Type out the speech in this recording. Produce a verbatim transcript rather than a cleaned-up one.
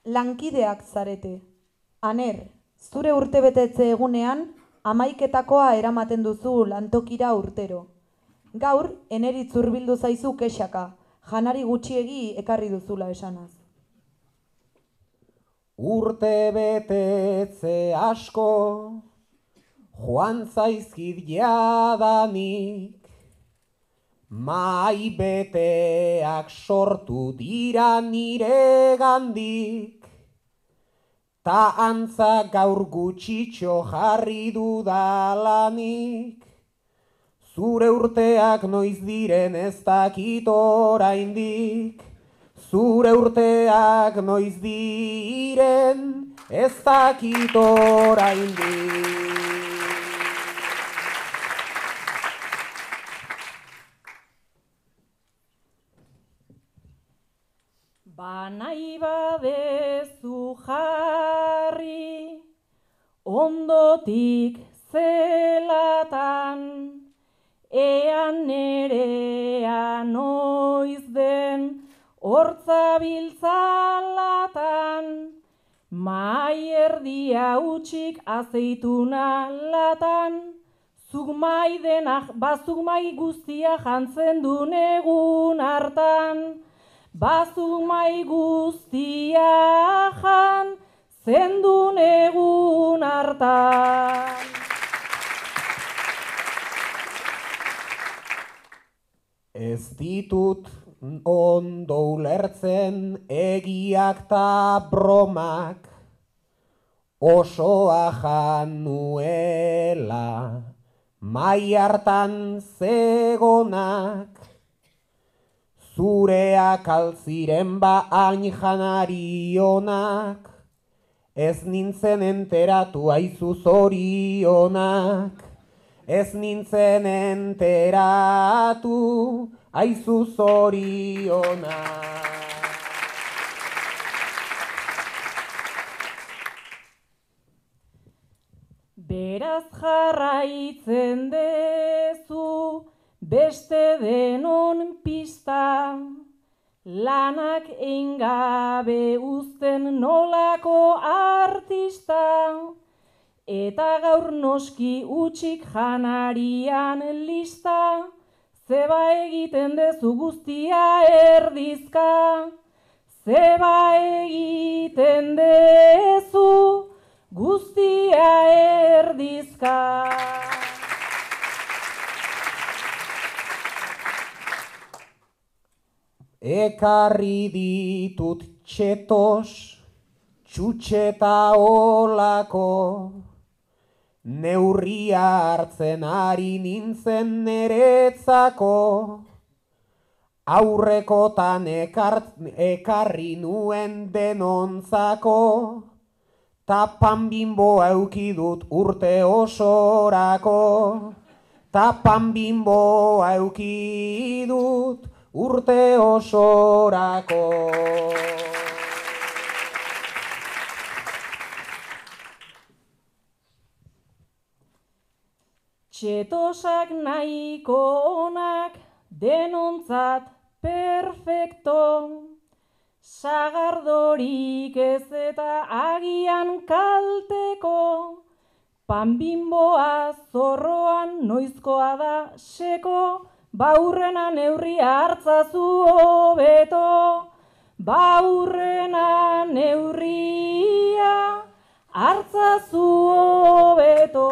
Lankideak zarete. Aner, zure urtebetetze egunean, hamaiketakoa eramaten duzu lantokira urtero. Gaur, eneritz hurbildu zaizu kexaka, janari gutxiegi ekarri duzula esanaz. Urte betetze asko, joan zaizkit jadanik, mai beteak sortu dira nire gandik, ta antza gaur gutxitxo jarri dudalanik, zure urteak noiz diren ez dakit oraindik, zure urteak noiz diren ez dakit oraindik. Banai badezu jarri, ondotik zelatan, ean nerea noiz den hortza biltzalatan, mai erdia utxik azeituna latan, zuk mai denak, bazuk mai guztia jantzen du negun hartan, bazuk mai guztia jan zendu negun hartan. Ez ditut ondo ulertzen egiak ta bromak, osoa jan nuela mai hartan zegonak, zureak altziren ba hain janari onak, ez nintzen enteratu aizu zorionak, ez nintzen enteratu aizu zorionak. Beraz jarraitzen dezu beste denon pista, lanak eingabe uzten nolako artista, eta gaur noski utxik janarian lista, zeba egiten dezu guztia erdizka, zeba egiten dezu guztia erdizka. Ekarri ditut txetos, txutxeta olako, neurria hartzen ari nintzen neretzako, aurrekotan ekarri nuen denontzako, ta pan bimbo eukidut urte osorako, ta pan bimbo eukidut urte osorako. Txetosak nahiko onak denontzat perfecto, sagardorik ez eta agian kalteko, pan bimboa zorroan noizkoa da seko, baurrena neurria hartzazu hobeto, baurrena neurria hartzazu hobeto.